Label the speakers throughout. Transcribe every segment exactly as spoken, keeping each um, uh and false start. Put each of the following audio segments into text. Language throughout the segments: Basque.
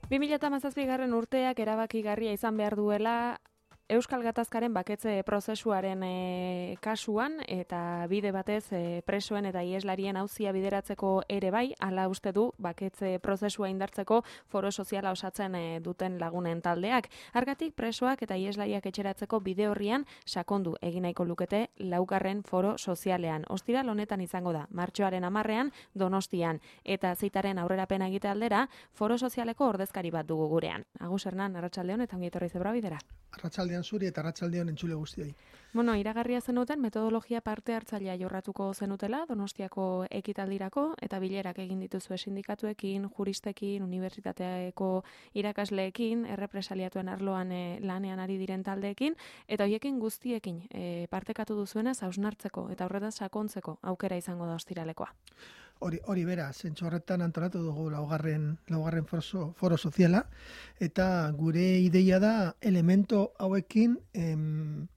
Speaker 1: bi mila hamazazpigarren urteak erabakigarria izan behar duela Euskal Gatazkaren baketze prozesuaren e, kasuan eta bide batez e, presoen eta ieslarien auzia bideratzeko ere bai, hala uste du baketze prozesua indartzeko foro soziala osatzen e, duten lagunen taldeak. Hargatik presoak eta ieslariak etxeratzeko bide horrian sakondu egin nahiko lukete laugarren foro sozialean. Ostiral honetan izango da, martxoaren hamarrean Donostian eta zeitaren aurrerapena egite aldera foro sozialeko ordezkari bat dugu gurean. Agus Hernan, arratsaldeon eta ongi etorri zebra bidera.
Speaker 2: Arratsaldean zuri eta arratsaldeon entzule guztiei.
Speaker 1: Bueno, iragarria zenuten metodologia parte hartzailea jorratuko zenutela Donostiako ekitaldirako eta bilerak egin dituzue sindikatuekin, juristekin, unibertsitateako irakasleekin, errepresaliatuen arloan e, lanean ari diren taldeekin eta hoiekin guztiekin e, partekatu duzuenez hausnartzeko eta horretan sakontzeko aukera izango da ostiralekoa.
Speaker 2: Hori, hori bera, zentzu horretan antolatu dugu laugarren, laugarren foro, foro soziala, eta gure ideia da elemento hauekin em,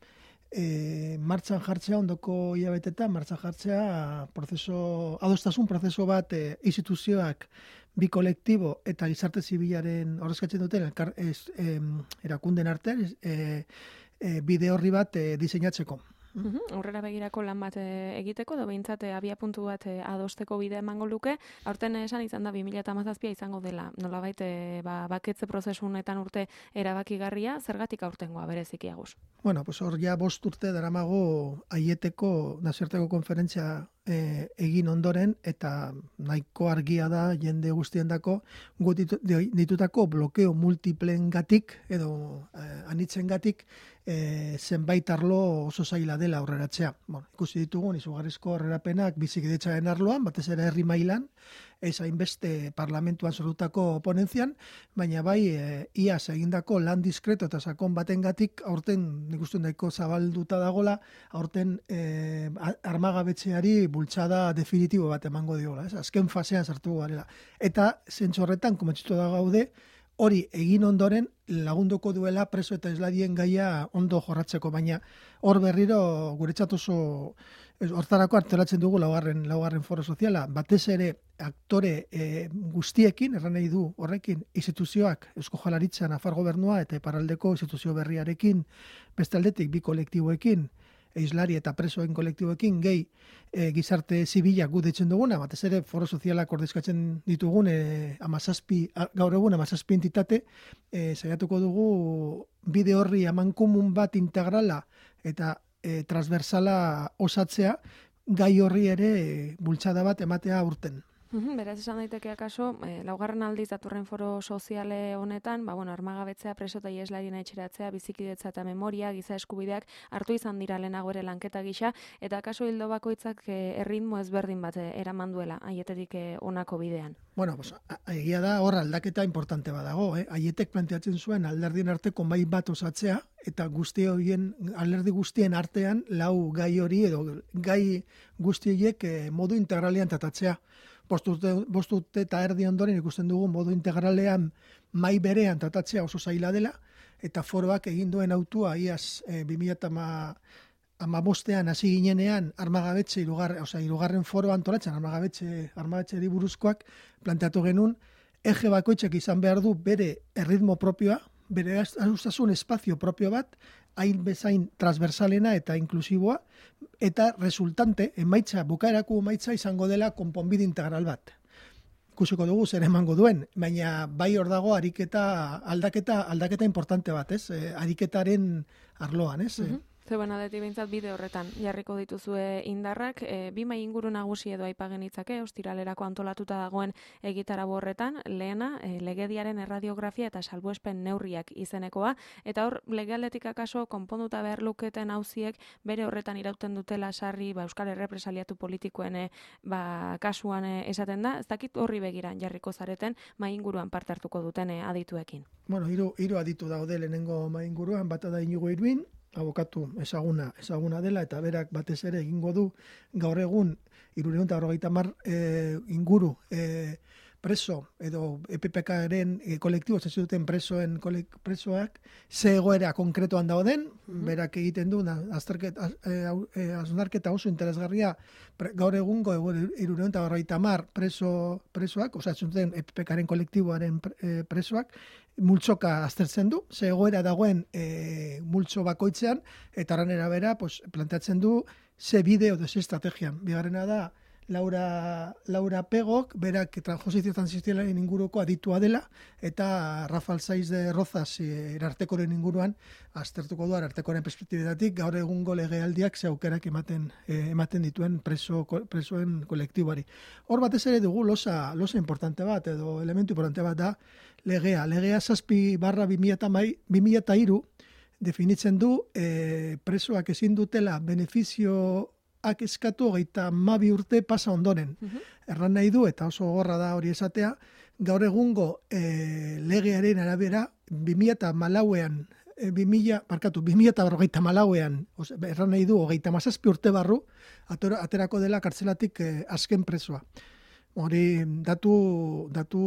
Speaker 2: e, martxan jartzea, ondoko hilabetetan martxan jartzea prozeso, adostasun prozeso bat e, instituzioak bi kolektibo eta gizarte zibilaren ordezkatzen duten elkar, ez, em, erakunden artean e, e, bide horri bat e, diseinatzeko.
Speaker 1: Uhum, aurrera begirako lan bat e, egiteko, edo behintzat abia puntu bat e, adosteko bidea emango luke. Aurten esan izan da bi mila hamazazpia izango dela. Nolabait e, ba, baketze prozesunetan urte erabakigarria, zergatik aurtengoa bereziki Agus?
Speaker 2: Bueno, pues hor ja bost urte daramago Aieteko nazioarteko konferentzia e, egin ondoren eta nahiko argia da jende guztiendako gu ditu, ditutako blokeo multiplengatik edo e, anitzengatik e, zenbait arlo oso zaila dela aurreratzea. Bueno, ikusi ditugun izugarrizko aurrerapenak bizikidetzaren arloan, batez ere herri mailan, ez hainbeste parlamentuan sortutako ponentzian, baina bai e, iaz egindako lan diskreto eta sakon batengatik aurten nik uste nahiko zabalduta dagola, aurten e, armagabetzeari bultzada definitibo bat emango diola, ez? Azken fasean sartu garela. Eta zentzu horretan, komentzitu da gaude, hori egin ondoren lagunduko duela preso eta islarien gaia ondo jorratzeko, baina hor berriro guretzat oso hortarako harteratzen dugu laugarren, laugarren foro soziala, batez ere aktore e, guztiekin, erran nahi du horrekin instituzioak, Eusko Jaurlaritza, Nafar Gobernua eta iparraldeko instituzio berriarekin, beste aldetik bi kolektiboekin, islari eta presoen kolektiboekin gehi e, gizarte zibilak gu deitzen duguna, batez ere foro sozialak ordezkatzen ditugun e, amazazpi, gaur egun amazazpi entitate, e, saiatuko dugu bide horri amankomun bat integrala eta e, transversala osatzea, gai horri ere e, bultzada bat ematea urten.
Speaker 1: Uhum, beraz esan daiteke akaso, eh, laugarren aldiz datorren foro soziale honetan, ba, bueno, armagabetzea, preso eta ieslarien etxeratzea, bizikidetza eta memoria, giza eskubideak hartu izan dira lehenago ere lanketa gisa, eta akaso hildo bakoitzak eh, erritmo ezberdin bat eh, eraman duela, aietetik eh, honako bidean.
Speaker 2: Bueno, pues, egia da hor aldaketa importante badago, eh? Aietek planteatzen zuen alderdien arteko mahai bat osatzea, eta guzti horien, alderdi guztien artean, lau gai hori edo gai guzti horiek eh, modu integralean tratatzea. Bost urte, bost urte eta erdi ondoren ikusten dugu modu integralean mai berean tratatzea oso zaila dela, eta foroak egin duen autua iaz e, bi mila hamabostean hasi ginenean armagabetxe irugarren, osea, irugarren foro antolatzen armagabetxe, armagabetxeri buruzkoak planteatu genuen, eje bakoitzak izan behar du bere erritmo propioa, bere adostasun espazio propio bat, hain bezain transversalena eta inklusiboa, eta resultante, emaitza, bukaerako emaitza izango dela konponbide integral bat. Ikusiko dugu zer emango duen, baina bai hor dago ariketa, aldaketa, aldaketa importante bat, ez? E, ariketaren arloan, ez?
Speaker 1: Uh-huh. Zeuben aldetik behintzat bide horretan jarriko dituzue indarrak, e, bi mai inguru nagusi edo aipagen itzake, ostiralerako antolatuta dagoen egitarau horretan, lehena, e, legediaren erradiografia eta salbuespen neurriak izenekoa, eta hor legealdetik akaso konponduta behar luketen auziek bere horretan irauten dutela sarri ba, Euskal Errepresaliatu politikoen e, ba, kasuan e, esaten da, ez dakit horri begiran jarriko zareten mai inguruan parte hartuko duten e, adituekin.
Speaker 2: Bueno, hiru hiru aditu daude lehenengo mai inguruan, bata da Inigo Irwin, abokatu ezaguna, ezaguna dela, eta berak batez ere egingo du gaur egun hirurehun eta berrogeita hamar e, inguru e, preso edo E P P K-ren e, kolektibo zuten presoen kolek, presoak ze egoera konkretuan dauden, mm-hmm. berak egiten du azterketa azunarketa oso interesgarria pre, gaur egungo hirurehun eta berrogeita hamar preso presoak, osea zuten E P P K-ren kolektiboaren pre, presoak multzoka aztertzen du, ze egoera dagoen e, multzo bakoitzean eta horren arabera pues planteatzen du ze bideo edo ze estrategian. Bigarrena da Laura, Laura Pegok, berak transposizio transizialaren inguruko aditua dela, eta Rafael Saiz de Rozas erartekoren inguruan, aztertuko du erartekoren perspektibetatik, gaur egungo legealdiak ze aukerak ematen, eh, ematen dituen preso, presoen kolektiboari. Hor batez ere dugu losa, losa importante bat, edo elementu importante bat da, legea. Legea zazpi barra bi mila eta hiru definitzen du eh, presoak ezin dutela benefizio ak eskatu hogeita hamabi urte pasa ondoren. Uh-huh. Erran nahi du, eta oso gorra da hori esatea, gaur egungo e, legearen arabera, bi mila eta malauean, e, bi mila, barkatu, bi mila eta berrogeita malauean, erran nahi du, hogeita mazazpi urte barru, atera, aterako dela kartzelatik e, azken presoa. Hori datu, datu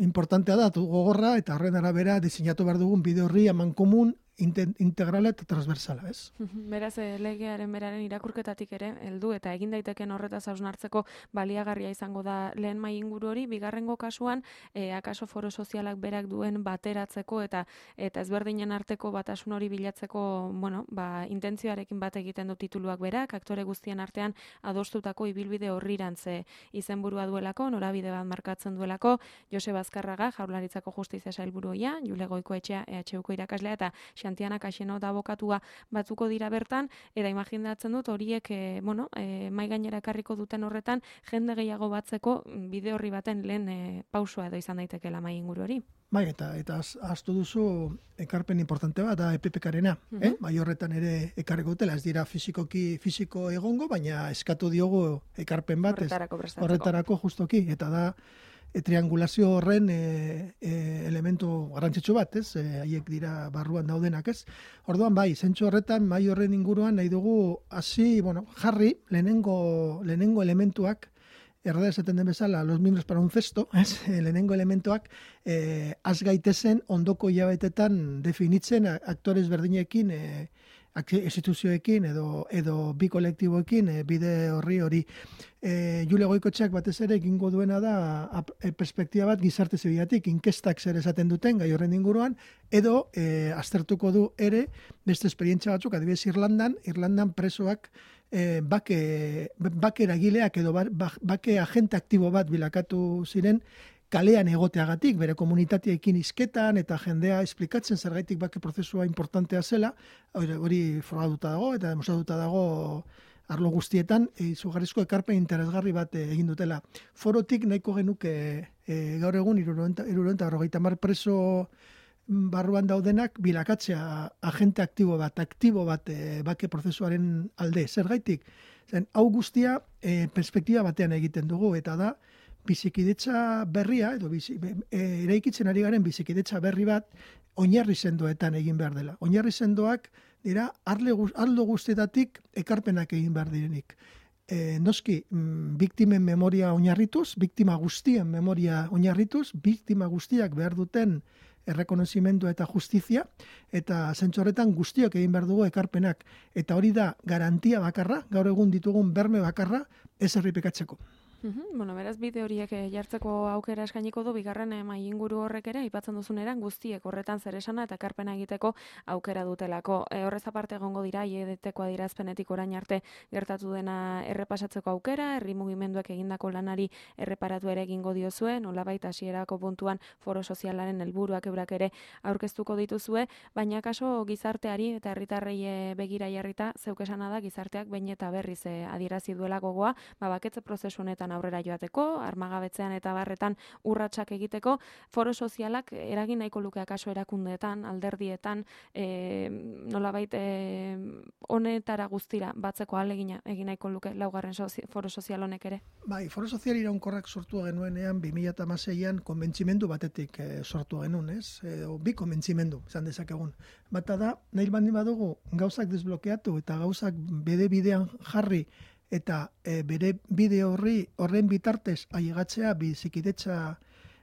Speaker 2: importantea da, datu gogorra, eta horren arabera diseinatu behar dugun bide horri aman komun, integrala eta transversala, ez?
Speaker 1: Beraz, legearen beraren irakurketatik ere, heldu eta egin daiteken horretaz hausnartzeko baliagarria izango da lehen mai inguru hori, bigarrengo kasuan, e, akaso foro sozialak berak duen bateratzeko eta eta ezberdinen arteko batasun hori bilatzeko, bueno, ba, intentzioarekin bat egiten du tituluak berak, aktore guztien artean adostutako ibilbide horrirantze izenburua duelako, norabide bat markatzen duelako, Joseba Azkarraga, Jaurlaritzako Justizia Sailburuia, Jule Goikoetxea, E H Uko irakaslea eta Xantiana Kaxeno da abokatua batzuko dira bertan, eta imaginatzen dut horiek e, bueno, e, mai gainera ekarriko duten horretan jende gehiago batzeko bide horri baten lehen e, pausua edo izan daitekeela mai inguru hori.
Speaker 2: Bai, eta eta ahaztu duzu ekarpen importante bat da E P P K-rena, uh-huh. eh? Bai horretan ere ekarriko dutela, ez dira fisikoki fisiko egongo, baina eskatu diogu ekarpen bat
Speaker 1: horretarako,
Speaker 2: horretarako justoki, eta da E, triangulazio horren e, e, elementu garrantzitsu bat, ez? Haiek e, dira barruan daudenak, ez? Orduan bai, zentzu horretan, mai horren inguruan nahi dugu hasi, bueno, jarri lehenengo, lehenengo elementuak, errada esaten den bezala, los miembros para un cesto, ez? Lehenengo elementuak e, az gaitezen ondoko hilabetetan definitzen aktores berdinekin e, instituzioekin edo edo bi kolektiboekin e, bide horri hori. E, Jule Goikoetxeak batez ere egingo duena da a, e, perspektiba bat gizarte zibilatik, inkestak zer esaten duten gai horren inguruan, edo e, aztertuko du ere beste esperientzia batzuk, adibidez Irlandan, Irlandan presoak e, bake, bake eragileak edo bake agente aktibo bat bilakatu ziren, kalean egoteagatik, bere komunitateekin izketan eta jendea esplikatzen zergaitik bake prozesua importantea zela, hori, hori frogatuta dago eta demostratuta dago arlo guztietan, izugarrizko ekarpen interesgarri bat egin dutela. Forotik nahiko genuke e, gaur egun hirurehun eta berrogeita hamar preso barruan daudenak bilakatzea agente aktibo bat, aktibo bat e, bake prozesuaren alde. Zergaitik, zen, hau guztia e, perspektiba batean egiten dugu, eta da, bizikidetza berria, edo bizi, e, eraikitzen ari garen bizikidetza berri bat, oinarri sendoetan egin behar dela. Oinarri sendoak dira, arle, arlo guztietatik ekarpenak egin behar direnik. E, noski, m, biktimen memoria oinarrituz, biktima guztien memoria oinarrituz, biktima guztiak behar duten errekonozimendu eta justizia, eta zentzu horretan guztiok egin behar dugu ekarpenak. Eta hori da garantia bakarra, gaur egun ditugun berme bakarra, ez errepikatzeko.
Speaker 1: Uhum, bueno, beraz bide horiek jartzeko aukera eskainiko du bigarren mai inguru horrek ere aipatzen duzun eran guztiek horretan zer esana eta ekarpena egiteko aukera dutelako. E, horrez aparte egongo dira I E D T-ko adierazpenetik orain arte gertatu dena errepasatzeko aukera, herri mugimenduak egindako lanari erreparatu ere egingo diozue, nolabait hasierako puntuan foro sozialaren helburuak eurak ere aurkeztuko dituzue, baina kaso gizarteari eta herritarrei begira jarrita zeuk esana da gizarteak behin eta berriz adierazi duela gogoa, ba baketze prozesu honetan aurrera joateko, armagabetzean eta barretan urratsak egiteko, foro sozialak eragin nahiko luke akaso erakundeetan, alderdietan, e, nolabait e, honetara guztira batzeko ahalegina egin nahiko luke laugarren sozi, foro sozial honek ere.
Speaker 2: Bai, foro sozial iraunkorrak sortu genuenean bi mila hamaseian konbentzimendu batetik e, sortu genuen, ez? E, bi konbentzimendu, esan dezakegun. Bata da, nahi baldin badugu gauzak desblokeatu eta gauzak bide bidean jarri eta e, bere bide horri horren bitartez ailegatzea bizikidetza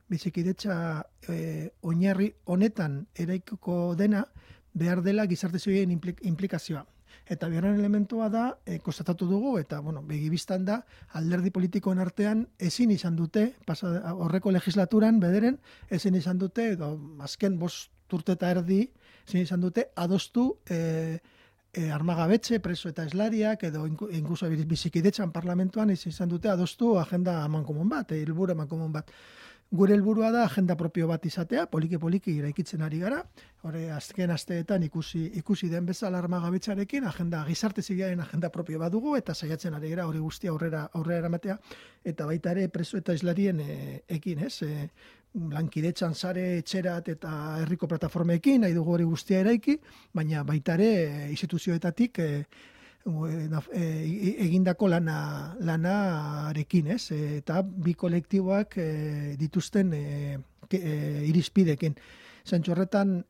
Speaker 2: bizikidetza e, oinarri honetan eraikiko dena behar dela gizarte zibilen implik, implikazioa. Eta bigarren elementua da, e, konstatatu dugu, eta bueno, begibistan da, alderdi politikoen artean ezin izan dute, pasa, horreko legislaturan bederen, ezin izan dute, edo azken bost urte eta erdi, ezin izan dute, adostu e, e, armagabetxe, preso eta eslariak, edo inkuso bizikidetzan parlamentuan, ezin izan dute, adostu agenda amankomun bat, e, helburu amankomun bat. Gure helburua da agenda propio bat izatea, poliki-poliki iraikitzen ari gara, hori azken asteetan ikusi ikusi den bezala armagabetxarekin, agenda gizarte zibilaren agenda propio bat dugu, eta saiatzen ari gara hori guztia aurrera aurrera eramatea, eta baita ere preso eta islarien e, ekin, ez? E, lankidetzan sare etxerat eta herriko plataformekin, nahi dugu hori guztia eraiki, baina baita ere instituzioetatik e, egindako lana lanarekin, ez? Eta bi kolektiboak e, dituzten e, e, irizpidekin. Zentzu horretan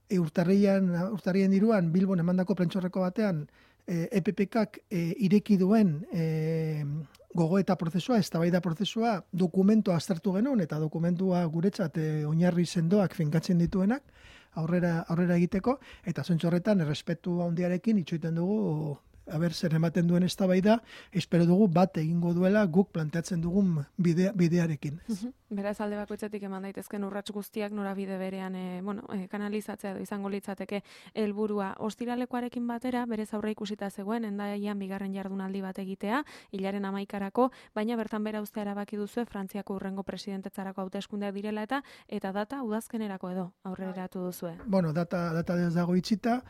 Speaker 2: e, urtarrian urtarrien hiruan Bilbon emandako prentxorreko batean e, E P P K e, ireki duen e, gogoeta prozesua, eztabaida prozesua dokumentua aztertu genuen eta dokumentua guretzat e, oinarri sendoak finkatzen dituenak aurrera aurrera egiteko eta zentzu horretan errespetu handiarekin itxoiten dugu aber zer ematen duen eztabaida, espero dugu bat egingo duela guk planteatzen dugun bidea, bidearekin.
Speaker 1: Beraz alde bakoitzetik eman daitezken urrats guztiak norabide berean e, bueno, e, kanalizatzea edo izango litzateke helburua. Ostiralekoarekin batera, berez aurre ikusita zegoen, Hendaian bigarren jardunaldi bat egitea, hilaren hamaikarako, baina bertan bera uztea erabaki duzue Frantziako hurrengo presidentetzarako hauteskundeak direla eta eta data udazkenerako edo aurreratu duzue.
Speaker 2: Bueno, data data ez dago itxita.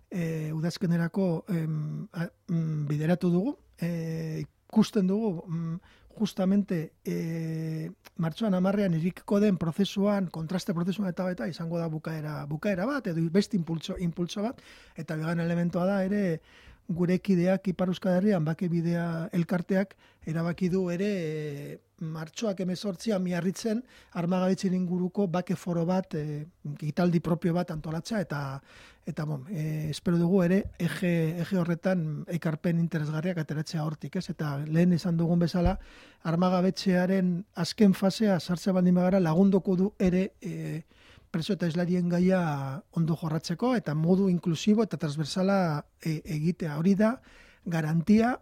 Speaker 2: E, udazkenerako em, a, m, bideratu dugu, e, ikusten dugu m, justamente e, martxoan hamarrean irikiko den prozesuan, kontraste prozesuan eta eta izango da bukaera, bukaera bat, edo beste impulso, impulso bat, eta bigarren elementua da ere gure kideak Ipar Euskal Herrian bake bidea elkarteak erabaki du ere e, martxoak hemezortzian miarritzen armagabetzen inguruko bake foro bat, e, gitaldi propio bat antolatzea eta eta bon, e, espero dugu ere eje, eje horretan ekarpen interesgarriak ateratzea hortik, ez? Eta lehen izan dugun bezala armagabetxearen azken fasea sartze baldin bagara lagunduko du ere e, preso eta islarien gaia ondo jorratzeko eta modu inklusibo eta transversala e, egitea. Hori da garantia,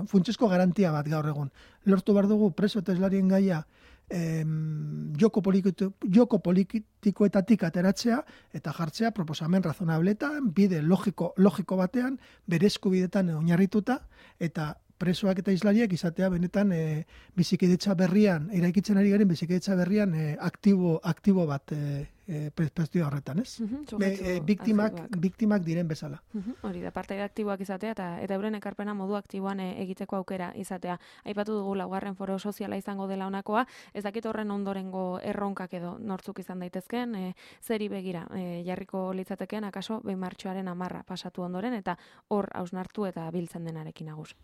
Speaker 2: funtsezko garantia bat gaur egun. Lortu behar dugu preso eta islarien gaia em, joko, politiko, joko politikoetatik ateratzea eta jartzea proposamen razonabletan, bide logiko, logiko batean, bere eskubidetan oinarrituta eta presoak eta islariak izatea benetan e, bizikidetza berrian, eraikitzen ari garen bizikidetza berrian e, aktibo, aktibo bat e, e, perspektiba horretan, ez?
Speaker 1: Uh -huh,
Speaker 2: Be, e, biktimak, biktimak diren bezala.
Speaker 1: Uh -huh, hori da, partaide aktiboak izatea eta eta euren ekarpena modu aktiboan e, egiteko aukera izatea. Aipatu dugu laugarren foro soziala izango dela honakoa, ez dakit horren ondorengo erronkak edo nortzuk izan daitezken, e, zeri begira, e, jarriko litzateken akaso behin martxoaren hamarra pasatu ondoren eta hor hausnartu eta biltzen denarekin agus.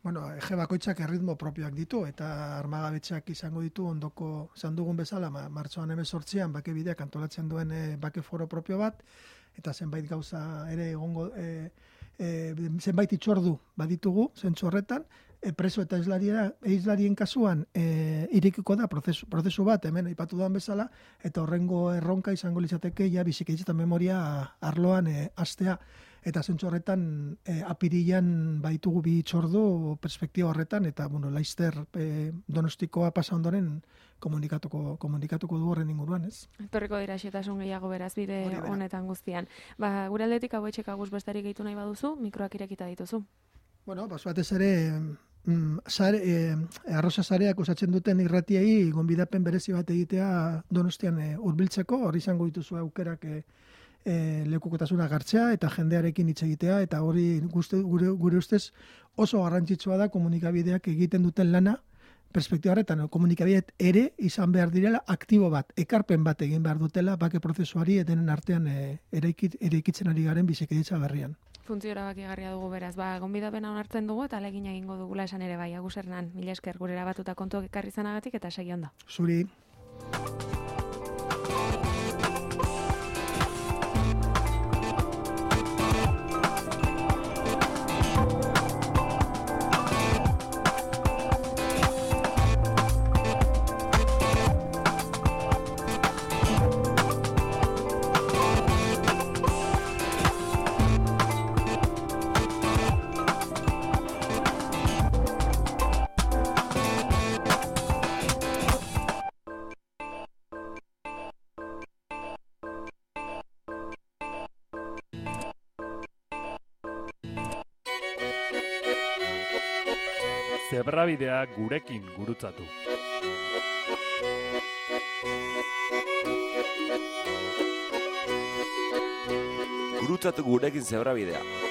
Speaker 2: Bueno, eje bakoitzak erritmo propioak ditu eta armagabetxeak izango ditu ondoko izan dugun bezala, ma, martxoan hemezortzian bake bideak antolatzen duen e, bake foro propio bat eta zenbait gauza ere egongo e, e, zenbait itxordu baditugu zentzu horretan, e, preso eta islarien, islarien kasuan e, irekiko da prozesu, prozesu bat hemen aipatu duan bezala eta horrengo erronka izango litzateke ja bizikidetza memoria arloan e, astea. Eta zentzu horretan e, apirilan baitugu bi txordu perspektiba horretan eta bueno, Laister e, Donostikoa pasa ondoren komunikatuko komunikatuko du horren inguruan, ez?
Speaker 1: Etorriko dira xetasun gehiago beraz bide honetan guztian. Ba, gure aldetik hau etxek agus bestarik gehitu nahi baduzu, mikroak irekita dituzu.
Speaker 2: Bueno, bas batez ere mm, sare, e, arroza sareak osatzen duten irratiei gonbidapen berezi bat egitea Donostian e, hurbiltzeko, hori izango dituzu aukerak e, E, lekukotasuna gartzea eta jendearekin hitz egitea eta hori guzti, gure, gure ustez oso garrantzitsua da komunikabideak egiten duten lana perspektiba horretan, komunikabideak ere izan behar direla aktibo bat, ekarpen bat egin behar dutela bake prozesuari edenen artean e, eraikitzen ari garen bizikidetza berrian.
Speaker 1: Funtzio erabakigarria dugu beraz, ba, gonbidapena onartzen dugu eta alegina egingo dugula esan ere bai, Agus Hernan, mila esker gure erabatuta kontuak ekarri zanagatik eta segi ondo.
Speaker 2: Zuri.
Speaker 3: Zebrabidea gurekin gurutzatu.
Speaker 4: Gurutzatu gurekin zebrabidea.